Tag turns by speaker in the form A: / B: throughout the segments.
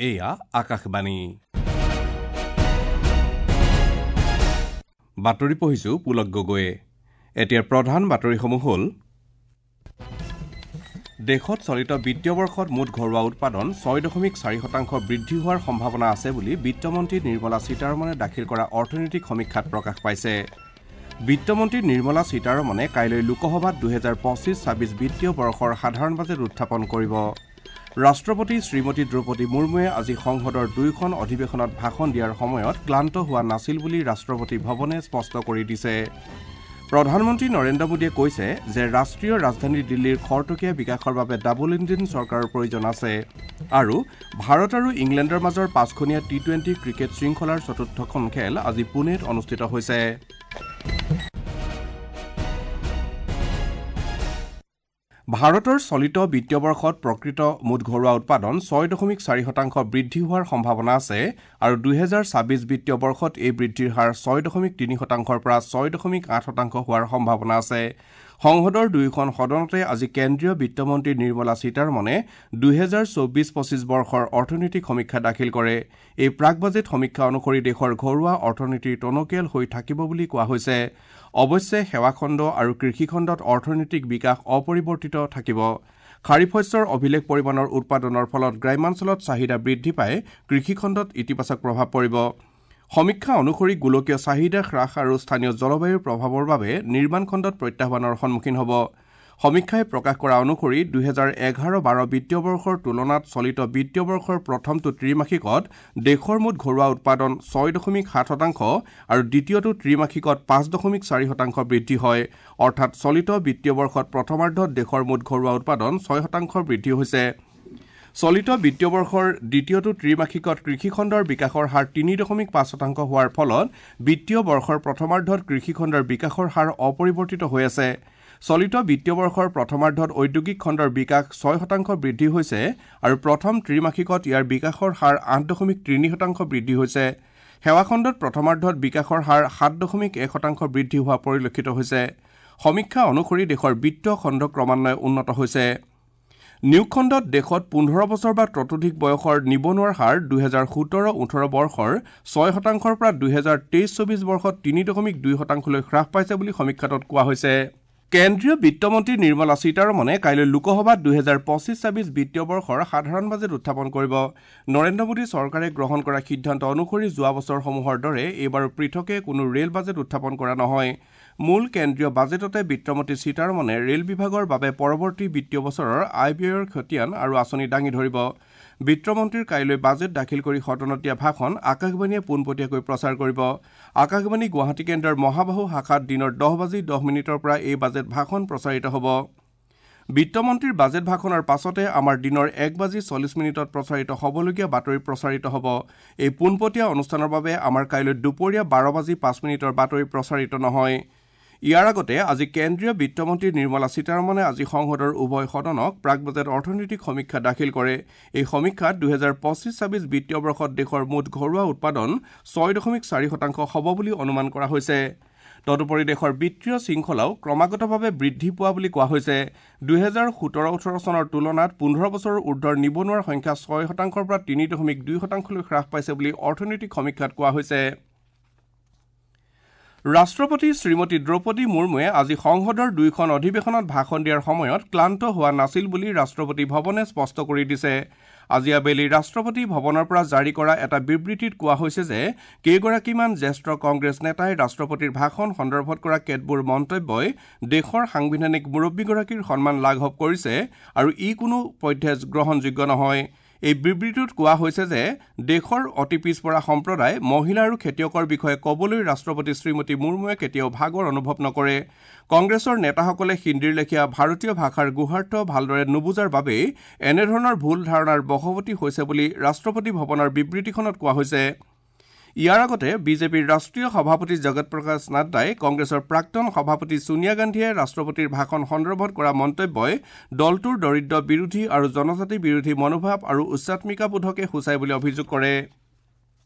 A: এয়া আকাশবাণী। বাতৰি পঢ়িছো পুলক গগৈয়ে। এতিয়াৰ প্ৰধান বাতৰিসমূহ হ'ল: দেশত চলিত বিত্তীয় বৰ্ষত মুঠ ঘৰুৱা উৎপাদন 6.4% বৃদ্ধি হোৱাৰ সম্ভাৱনা আছে বুলি বিত্তমন্ত্ৰী নিৰ্মলা সীতাৰমণে দাখিল কৰা অৰ্থনৈতিক সমীক্ষাত প্ৰকাশ পাইছে। বিত্তমন্ত্ৰী নিৰ্মলা সীতাৰমণে কাইলৈ লোকসভাত 2025-26 বিত্তীয় বৰ্ষৰ সাধাৰণ বাজেট উত্থাপন কৰিব। ৰাষ্ট্ৰপতি শ্ৰীমতী দ্ৰৌপদী মুৰ্মুৱে আজি সংসদৰ দুয়োখন অধিৱেশনত ভাষণ দিয়াৰ সময়ত ক্লান্ত হোৱা নাছিল বুলি ৰাষ্ট্ৰপতি ভৱনে স্পষ্ট কৰি দিছে। প্ৰধানমন্ত্ৰী নৰেন্দ্ৰ মোদীয়ে কৈছে যে ৰাষ্ট্ৰীয় ৰাজধানী দিল্লীৰ খৰতকীয়া বিকাশৰ বাবে ডাবল ইঞ্জিন চৰকাৰৰ প্ৰয়োজন আছে। আৰু ভাৰত আৰু ইংলেণ্ডৰ মাজৰ পাঁচখনীয়া টি-20 ক্ৰিকেট শৃংখলাৰ চতুৰ্থখন খেল আজি পুনেত অনুষ্ঠিত হৈছে। ভাৰতৰ চলিত বিত্তীয় বৰ্ষত প্ৰকৃত মুঠ ঘৰুৱা উৎপাদন 6.4% বৃদ্ধি হোৱাৰ সম্ভাৱনা আছে আৰু 2026 বিত্তীয় বৰ্ষত এই বৃদ্ধিৰ হাৰ 6.3%ৰ পৰা 6.8% হোৱাৰ সম্ভাৱনা আছে। সংসদৰ দুয়োখন সদনতে আজি কেন্দ্ৰীয় বিত্তমন্ত্ৰী নিৰ্মলা সীতাৰমণে 2024-25 বৰ্ষৰ অৰ্থনৈতিক সমীক্ষা দাখিল কৰে। এই প্ৰাক বাজেট সমীক্ষা অনুসৰি দেশৰ ঘৰুৱা অৰ্থনীতি টনকিয়াল হৈ থাকিব বুলি কোৱা হৈছে। অৱশ্যে সেৱাখণ্ড আৰু কৃষিখণ্ডত অৰ্থনৈতিক বিকাশ অপৰিৱৰ্তিত থাকিব। খাৰিফ শস্যৰ অভিলেখ পৰিমাণৰ উৎপাদনৰ ফলত গ্ৰাম্যাঞ্চলত চাহিদা বৃদ্ধি পাই কৃষিখণ্ডত ইতিবাচক প্ৰভাৱ পৰিব। সমীক্ষা অনুসৰি গোলকীয় চাহিদা হ্ৰাস আৰু স্থানীয় জলবায়ুৰ প্ৰভাৱৰ বাবে নিৰ্মাণ খণ্ডত প্ৰত্যাহ্বানৰ সন্মুখীন হ'ব। সমীক্ষাই প্ৰকাশ কৰা অনুসৰি 2011-12 বিত্তীয় বৰ্ষৰ তুলনাত চলিত বিত্তীয় বৰ্ষৰ প্ৰথমটো ত্ৰিমাসিকত দেশৰ মুঠ ঘৰুৱা উৎপাদন 6.7% আৰু দ্বিতীয়টো ত্ৰিমাসিকত 5.4% বৃদ্ধি হয়। অৰ্থাৎ চলিত বিত্তীয় বৰ্ষত প্ৰথমাৰ্ধত দেশৰ মুঠ ঘৰুৱা উৎপাদন 6% বৃদ্ধি হৈছে। চলিত বিত্তীয় বৰ্ষৰ দ্বিতীয়টো ত্ৰিমাসিকত কৃষিখণ্ডৰ বিকাশৰ হাৰ 3.5% হোৱাৰ ফলত বিত্তীয় বৰ্ষৰ প্ৰথমাৰ্ধত কৃষিখণ্ডৰ বিকাশৰ হাৰ অপৰিৱৰ্তিত হৈ আছে। চলিত বিত্তীয় বৰ্ষৰ প্ৰথমাৰ্ধত ঔদ্যোগিক খণ্ডৰ বিকাশ 6% বৃদ্ধি হৈছে আৰু প্ৰথম ত্ৰিমাসিকত ইয়াৰ বিকাশৰ হাৰ 8.3% বৃদ্ধি হৈছে। সেৱাখণ্ডত প্ৰথমাৰ্ধত বিকাশৰ হাৰ 7.1% বৃদ্ধি হোৱা পৰিলক্ষিত হৈছে। সমীক্ষা অনুসৰি দেশৰ বিত্তীয় খণ্ড ক্ৰমান্বয়ে উন্নত হৈছে। নিয়োগ খণ্ডত দেশত 15 বছৰ বা ততোধিক বয়সৰ নিবনুৱাৰ হাৰ 2017-18 বৰ্ষৰ 6%ৰ পৰা 2023-24 বৰ্ষত 3.2%লৈ হ্ৰাস পাইছে বুলি সমীক্ষাটোত কোৱা হৈছে। কেন্দ্ৰীয় বিত্তমন্ত্ৰী নিৰ্মলা সীতাৰমণে কাইলৈ লোকসভাত 2025-26 বিত্তীয় বৰ্ষৰ সাধাৰণ বাজেট উত্থাপন কৰিব। নৰেন্দ্ৰ মোদী চৰকাৰে গ্ৰহণ কৰা সিদ্ধান্ত অনুসৰি যোৱা বছৰসমূহৰ দৰে এইবাৰো পৃথকে কোনো ৰেল বাজেট উত্থাপন কৰা নহয়। মূল কেন্দ্ৰীয় বাজেটতে বিত্তমন্ত্ৰী সীতাৰমণে ৰেল বিভাগৰ বাবে পৰৱৰ্তী বিত্তীয় বছৰৰ আয় ব্যয়ৰ খতিয়ান আৰু আঁচনি দাঙি ধৰিব। বিত্তমন্ত্ৰীৰ কাইলৈ বাজেট দাখিল কৰি সদনত দিয়া ভাষণ আকাশবাণীয়ে পোনপটীয়াকৈ প্ৰচাৰ কৰিব। আকাশবাণী গুৱাহাটী কেন্দ্ৰৰ মহাবাহু শাখাত দিনৰ 10:10 পৰা এই বাজেট ভাষণ প্ৰচাৰিত হ'ব। বিত্তমন্ত্ৰীৰ বাজেট ভাষণৰ পাছতে আমাৰ দিনৰ 1:40 প্ৰচাৰিত হ'বলগীয়া বাতৰি প্ৰচাৰিত হ'ব। এই পোনপটীয়া অনুষ্ঠানৰ বাবে আমাৰ কাইলৈ দুপৰীয়া 12:05 বাতৰি প্ৰচাৰিত নহয়। ইয়াৰ আগতে আজি কেন্দ্ৰীয় বিত্তমন্ত্ৰী নিৰ্মলা সীতাৰমণে আজি সংসদৰ উভয় সদনক প্ৰাক বাজেট অৰ্থনৈতিক সমীক্ষা দাখিল কৰে। এই সমীক্ষাত 2025-26 বিত্তীয় বৰ্ষত দেশৰ মুঠ ঘৰুৱা উৎপাদন 6.4% হ'ব বুলি অনুমান কৰা হৈছে। তদুপৰি দেশৰ বিত্তীয় শৃংখলাও ক্ৰমাগতভাৱে বৃদ্ধি পোৱা বুলি কোৱা হৈছে। 2017-18 চনৰ তুলনাত 15 বছৰৰ ঊৰ্ধৰ নিবনুৱাৰ সংখ্যা 6%ৰ পৰা 3.2%লৈ হ্ৰাস পাইছে বুলি অৰ্থনৈতিক সমীক্ষাত কোৱা হৈছে। ৰাষ্ট্ৰপতি শ্ৰীমতী দ্ৰৌপদী মুৰ্মুৱে আজি সংসদৰ দুয়োখন অধিৱেশনত ভাষণ দিয়াৰ সময়ত ক্লান্ত হোৱা নাছিল বুলি ৰাষ্ট্ৰপতি ভৱনে স্পষ্ট কৰি দিছে। আজি আবেলি ৰাষ্ট্ৰপতি ভৱনৰ পৰা জাৰি কৰা এটা বিবৃতিত কোৱা হৈছে যে কেইগৰাকীমান জ্যেষ্ঠ কংগ্ৰেছ নেতাই ৰাষ্ট্ৰপতিৰ ভাষণ সন্দৰ্ভত কৰা কেতবোৰ মন্তব্যই দেশৰ সাংবিধানিক মুৰব্বীগৰাকীৰ সন্মান লাঘৱ কৰিছে আৰু ই কোনো পধ্যে গ্ৰহণযোগ্য নহয়। এই বিবৃতিটোত কোৱা হৈছে যে দেশৰ অতি পিছপৰা সম্প্ৰদায়, মহিলা আৰু খেতিয়কৰ বিষয়ে ক'বলৈ ৰাষ্ট্ৰপতি শ্ৰীমতী মুৰ্মুৱে কেতিয়াও ভাগৰ অনুভৱ নকৰে। কংগ্ৰেছৰ নেতাসকলে হিন্দীৰ লেখীয়া ভাৰতীয় ভাষাৰ গুহাৰ্থ ভালদৰে নুবুজাৰ বাবেই এনেধৰণৰ ভুল ধাৰণাৰ বশৱৰ্তী হৈছে বুলি ৰাষ্ট্ৰপতি ভৱনৰ বিবৃতিখনত কোৱা হৈছে। ইয়াৰ আগতে বিজেপিৰ ৰাষ্ট্ৰীয় সভাপতি জগত প্ৰকাশ নাড্ডাই কংগ্ৰেছৰ প্ৰাক্তন সভাপতি ছোনিয়া গান্ধীয়ে ৰাষ্ট্ৰপতিৰ ভাষণ সন্দৰ্ভত কৰা মন্তব্যই দলটোৰ দৰিদ্ৰ বিৰোধী আৰু জনজাতি বিৰোধী মনোভাৱ আৰু উচ্চাত্মিকাবোধকে সূচায় বুলি অভিযোগ কৰে।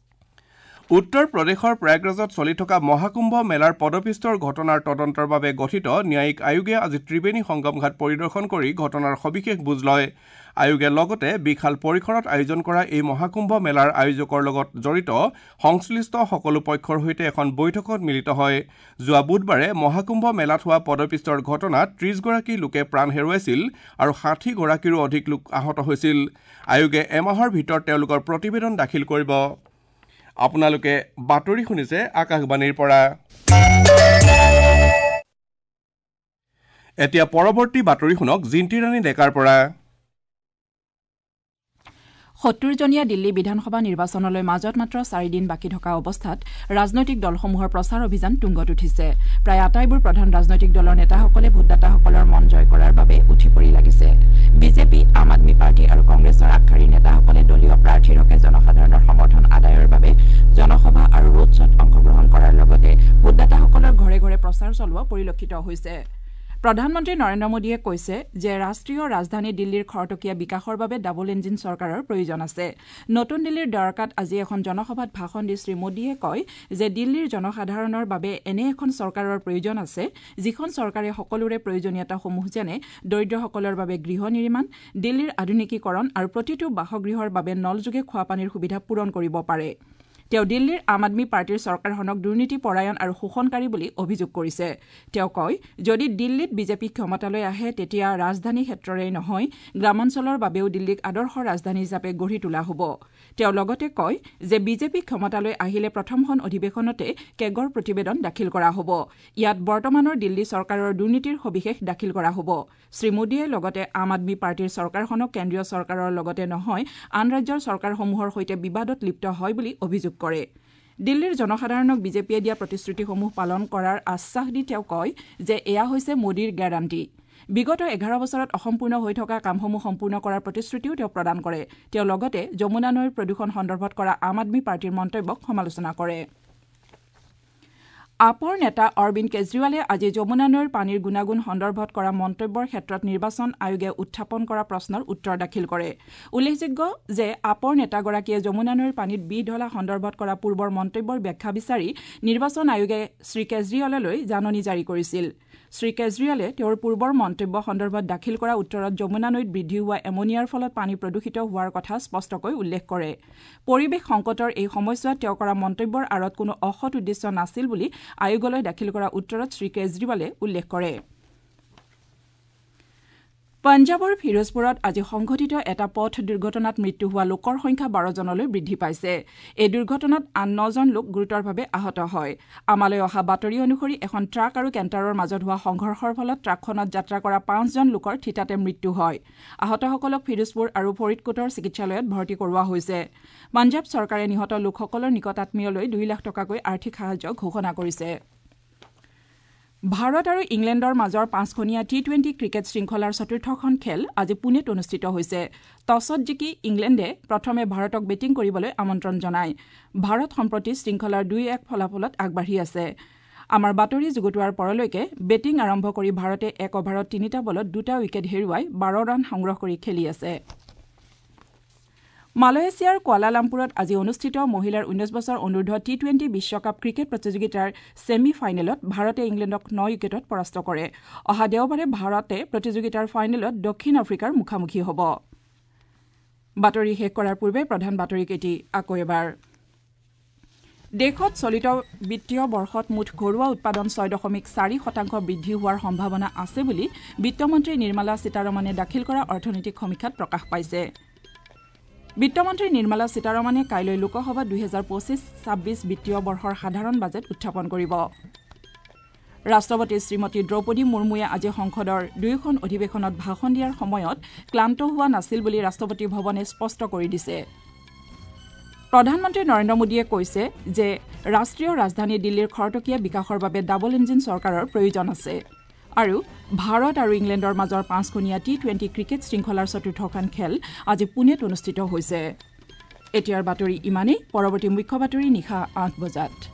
A: উত্তৰ প্ৰদেশৰ প্ৰয়াগৰাজত চলি থকা মহাকুম্ভ মেলাৰ পদপিষ্টৰ ঘটনাৰ তদন্তৰ বাবে গঠিত ন্যায়িক আয়োগে আজি ত্ৰিবেণী সংগম ঘাট পৰিদৰ্শন কৰি ঘটনাৰ সবিশেষ বুজ লয়। আয়োগে লগতে বিশাল পৰিসৰত আয়োজন কৰা এই মহাকুম্ভ মেলাৰ আয়োজকৰ লগত জড়িত সংশ্লিষ্ট সকলো পক্ষৰ সৈতে এখন বৈঠকত মিলিত হয়। যোৱা বুধবাৰে মহাকুম্ভ মেলাত হোৱা পদপিষ্টৰ ঘটনাত ৩০গৰাকী লোকে প্ৰাণ হেৰুৱাইছিল আৰু ৬০গৰাকীৰো অধিক লোক আহত হৈছিল। আয়োগে এমাহৰ ভিতৰত তেওঁলোকৰ প্ৰতিবেদন দাখিল কৰিব। আপোনালোকে বাতৰি শুনিছে আকাশবাণীৰ পৰা। এতিয়া পৰৱৰ্তী বাতৰি শুনক জিন্তি ৰাণী ডেকাৰ পৰা।
B: ৭০জনীয়া দিল্লী বিধানসভা নিৰ্বাচনলৈ মাজত মাত্ৰ ৪ দিন বাকী থকা অৱস্থাত ৰাজনৈতিক দলসমূহৰ প্ৰচাৰ অভিযান তুংগত উঠিছে। প্ৰায় আটাইবোৰ প্ৰধান ৰাজনৈতিক দলৰ নেতাসকলে ভোটদাতাসকলৰ মন জয় কৰাৰ বাবে উঠি পৰি লাগিছে। বিজেপি, আম আদমী পাৰ্টী আৰু কংগ্ৰেছৰ আগশাৰীৰ নেতাসকলে দলীয় প্ৰাৰ্থীৰ হকে জনসাধাৰণৰ সমৰ্থন আদায়ৰ বাবে জনসভা আৰু ৰোড শ্বত অংশগ্ৰহণ কৰাৰ লগতে ভোটদাতাসকলৰ ঘৰে ঘৰে প্ৰচাৰ চলোৱা পৰিলক্ষিত হৈছে। প্ৰধানমন্ত্ৰী নৰেন্দ্ৰ মোদীয়ে কৈছে যে ৰাষ্ট্ৰীয় ৰাজধানী দিল্লীৰ খৰতকীয়া বিকাশৰ বাবে ডাবল ইঞ্জিন চৰকাৰৰ প্ৰয়োজন আছে। নতুন দিল্লীৰ দ্বাৰকাত আজি এখন জনসভাত ভাষণ দি শ্ৰীমোদীয়ে কয় যে দিল্লীৰ জনসাধাৰণৰ বাবে এনে এখন চৰকাৰৰ প্ৰয়োজন আছে, যিখন চৰকাৰে সকলোৰে প্ৰয়োজনীয়তাসমূহ, যেনে দৰিদ্ৰসকলৰ বাবে গৃহ নিৰ্মাণ, দিল্লীৰ আধুনিকীকৰণ আৰু প্ৰতিটো বাসগৃহৰ বাবে নলযোগে খোৱাপানীৰ সুবিধা পূৰণ কৰিব পাৰে। তেওঁ দিল্লীৰ আম আদমী পাৰ্টীৰ চৰকাৰখনক দুৰ্নীতিপৰায়ণ আৰু শোষণকাৰী বুলি অভিযোগ কৰিছে। তেওঁ কয়, যদি দিল্লীত বিজেপি ক্ষমতালৈ আহে, তেতিয়া ৰাজধানী ক্ষেত্ৰৰেই নহয়, গ্ৰামাঞ্চলৰ বাবেও দিল্লীক আদৰ্শ ৰাজধানী হিচাপে গঢ়ি তোলা হ'ব। তেওঁ লগতে কয় যে বিজেপি ক্ষমতালৈ আহিলে প্ৰথমখন অধিৱেশনতে কেগৰ প্ৰতিবেদন দাখিল কৰা হ'ব। ইয়াত বৰ্তমানৰ দিল্লী চৰকাৰৰ দুৰ্নীতিৰ সবিশেষ দাখিল কৰা হ'ব। শ্ৰীমোদীয়ে লগতে আম আদমী পাৰ্টীৰ চৰকাৰখনক কেন্দ্ৰীয় চৰকাৰৰ লগতে নহয়, আন ৰাজ্যৰ চৰকাৰসমূহৰ সৈতে বিবাদত লিপ্ত হয় বুলি অভিযোগ কৰে। দিল্লীৰ জনসাধাৰণক বিজেপিয়ে দিয়া প্ৰতিশ্ৰুতিসমূহ পালন কৰাৰ আশ্বাস দি তেওঁ কয় যে এয়া হৈছে মোদীৰ গেৰাণ্টি। বিগত ১১ বছৰত অসম্পূৰ্ণ হৈ থকা কামসমূহ সম্পূৰ্ণ কৰাৰ প্ৰতিশ্ৰুতিও তেওঁ প্ৰদান কৰে। তেওঁ লগতে যমুনা নৈৰ প্ৰদূষণ সন্দৰ্ভত কৰা আম আদমী পাৰ্টীৰ মন্তব্যক সমালোচনা কৰে। আপৰ নেতা অৰবিন্দ কেজৰিৱালে আজি যমুনা নৈৰ পানীৰ গুণাগুণ সন্দৰ্ভত কৰা মন্তব্যৰ ক্ষেত্ৰত নিৰ্বাচন আয়োগে উত্থাপন কৰা প্ৰশ্নৰ উত্তৰ দাখিল কৰে। উল্লেখযোগ্য যে আপৰ নেতাগৰাকীয়ে যমুনা নৈৰ পানীত বিহ ঢলা সন্দৰ্ভত কৰা পূৰ্বৰ মন্তব্যৰ ব্যাখ্যা বিচাৰি নিৰ্বাচন আয়োগে শ্ৰীকেজৰিৱাললৈ জাননী জাৰি কৰিছিল। শ্ৰীকেজৰিৱালে তেওঁৰ পূৰ্বৰ মন্তব্য সন্দৰ্ভত দাখিল কৰা উত্তৰত যমুনা নৈত বৃদ্ধি হোৱা এমনিয়াৰ ফলত পানী প্ৰদূষিত হোৱাৰ কথা স্পষ্টকৈ উল্লেখ কৰে। পৰিৱেশ সংকটৰ এই সময়ছোৱাত তেওঁ কৰা মন্তব্যৰ আঁৰত কোনো অসৎ উদ্দেশ্য নাছিল বুলি আয়োগলৈ দাখিল কৰা উত্তৰত শ্ৰীকেজৰিৱালে উল্লেখ কৰে। পঞ্জাৱৰ ফিৰোজপুৰত আজি সংঘটিত এটা পথ দুৰ্ঘটনাত মৃত্যু হোৱা লোকৰ সংখ্যা ১২জনলৈ বৃদ্ধি পাইছে। এই দুৰ্ঘটনাত আন নজন লোক গুৰুতৰভাৱে আহত হয়। আমালৈ অহা বাতৰি অনুসৰি এখন ট্ৰাক আৰু কেণ্টাৰৰ মাজত হোৱা সংঘৰ্ষৰ ফলত ট্ৰাকখনত যাত্ৰা কৰা পাঁচজন লোকৰ থিতাতে মৃত্যু হয়। আহতসকলক ফিৰোজপুৰ আৰু ফৰিদকোটৰ চিকিৎসালয়ত ভৰ্তি কৰোৱা হৈছে। পঞ্জাৱ চৰকাৰে নিহত লোকসকলৰ নিকটাত্মীয়লৈ ২ লাখ টকাকৈ আৰ্থিক সাহায্য ঘোষণা কৰিছে। ভাৰত আৰু ইংলেণ্ডৰ মাজৰ পাঁচখনীয়া টি-টুৱেণ্টি ক্ৰিকেট শৃংখলাৰ চতুৰ্থখন খেল আজি পুনেত অনুষ্ঠিত হৈছে। টছত জিকি ইংলেণ্ডে প্ৰথমে ভাৰতক বেটিং কৰিবলৈ আমন্ত্ৰণ জনায়। ভাৰত সম্প্ৰতি শৃংখলাৰ ২-১ ফলাফলত আগবাঢ়ি আছে। আমাৰ বাতৰি যুগুতোৱাৰ পৰলৈকে বেটিং আৰম্ভ কৰি ভাৰতে এক অভাৰত তিনিটা বলত দুটা উইকেট হেৰুৱাই ১২ ৰান সংগ্ৰহ কৰি খেলি আছে। মালয়েছিয়াৰ কুৱালালামপুৰত আজি অনুষ্ঠিত মহিলাৰ ১৯ বছৰ অনুৰ্ধ টি-টুৱেণ্টি বিশ্বকাপ ক্ৰিকেট প্ৰতিযোগিতাৰ ছেমি ফাইনেলত ভাৰতে ইংলেণ্ডক ন উইকেটত পৰাস্ত কৰে। অহা দেওবাৰে ভাৰতে প্ৰতিযোগিতাৰ ফাইনেলত দক্ষিণ আফ্ৰিকাৰ মুখামুখি হ'ব। বাতৰি শেষ কৰাৰ পূৰ্বে প্ৰধান বাতৰিকেইটি আকৌ এবাৰ। দেশত চলিত বিত্তীয় বৰ্ষত মুঠ ঘৰুৱা উৎপাদন ৬.৪% বৃদ্ধি হোৱাৰ সম্ভাৱনা আছে বুলি বিত্তমন্ত্ৰী নিৰ্মলা সীতাৰমণে দাখিল কৰা অৰ্থনৈতিক সমীক্ষাত প্ৰকাশ পাইছে। বিত্তমন্ত্ৰী নিৰ্মলা সীতাৰমণে কাইলৈ লোকসভাত ২০২৫-২৬ বিত্তীয় বৰ্ষৰ সাধাৰণ বাজেট উত্থাপন কৰিব। ৰাষ্ট্ৰপতি শ্ৰীমতী দ্ৰৌপদী মুৰ্মুৱে আজি সংসদৰ দুয়োখন অধিৱেশনত ভাষণ দিয়াৰ সময়ত ক্লান্ত হোৱা নাছিল বুলি ৰাষ্ট্ৰপতি ভৱনে স্পষ্ট কৰি দিছে। প্ৰধানমন্ত্ৰী নৰেন্দ্ৰ মোদীয়ে কৈছে যে ৰাষ্ট্ৰীয় ৰাজধানী দিল্লীৰ খৰতকীয়া বিকাশৰ বাবে ডাবল ইঞ্জিন চৰকাৰৰ প্ৰয়োজন আছে। আৰু ভাৰত আৰু ইংলেণ্ডৰ মাজৰ পাঁচখনীয়া টি-টুৱেণ্টি ক্ৰিকেট শৃংখলাৰ চতুৰ্থখন খেল আজি পুনেত অনুষ্ঠিত হৈছে। এতিয়াৰ বাতৰি ইমানেই। পৰৱৰ্তী মুখ্য বাতৰি নিশা ৮ বজাত।